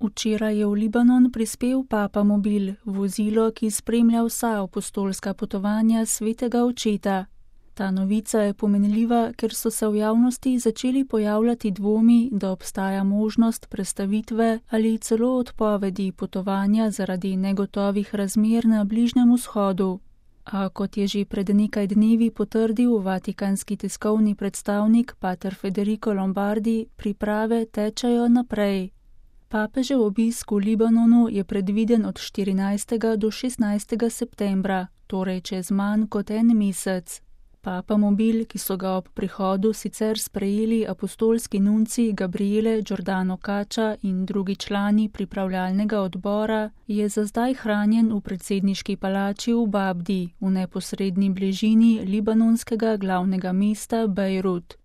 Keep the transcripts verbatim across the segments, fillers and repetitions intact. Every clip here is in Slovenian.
Včeraj je v Libanon prispel Papamobil, vozilo, ki spremlja vsa apostolska potovanja svetega očeta. Ta novica je pomenljiva, ker so se v javnosti začeli pojavljati dvomi, da obstaja možnost prestavitve ali celo odpovedi potovanja zaradi negotovih razmer na Bližnjem vzhodu. A kot je že pred nekaj dnevi potrdil vatikanski tiskovni predstavnik pater Federico Lombardi, priprave tečejo naprej. Papežev obisk v Libanonu je predviden od štirinajstega do šestnajstega septembra, torej čez manj kot en mesec. Papamobil, ki so ga ob prihodu sicer sprejeli apostolski nunci Gabriele Giordano Caccia in drugi člani pripravljalnega odbora, je za zdaj hranjen v predsedniški palači v Babdi, v neposredni bližini libanonskega glavnega mesta Bejrut.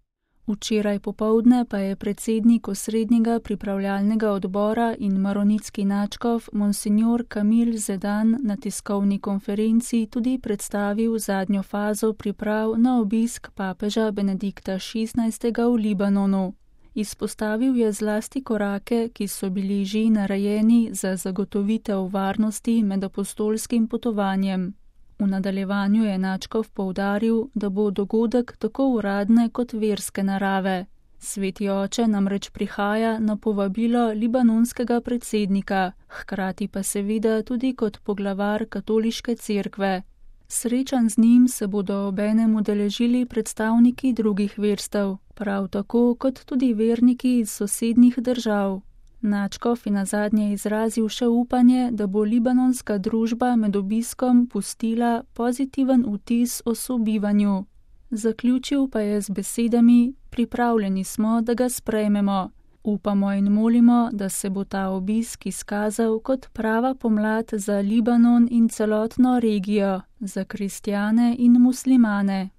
Včeraj popoldne pa je predsednik osrednjega pripravljalnega odbora in maronitski nadškof Monsignor Kamil Zedan na tiskovni konferenci tudi predstavil zadnjo fazo priprav na obisk papeža Benedikta šestnajstega v Libanonu. Izpostavil je zlasti korake, ki so bili že narejeni za zagotovitev varnosti med apostolskim potovanjem. V nadaljevanju je nadškof poudaril, da bo dogodek tako uradne kot verske narave. Sveti oče namreč prihaja na povabilo libanonskega predsednika, hkrati pa seveda tudi kot poglavar katoliške cerkve. Srečanj z njim se bodo obenem udeležili predstavniki drugih verstev, prav tako kot tudi verniki iz sosednjih držav. Nadškof je nazadnje izrazil še upanje, da bo libanonska družba med obiskom pustila pozitiven vtis o sobivanju. Zaključil pa je z besedami: pripravljeni smo, da ga sprejmemo. Upamo in molimo, da se bo ta obisk izkazal kot prava pomlad za Libanon in celotno regijo, za kristjane in muslimane.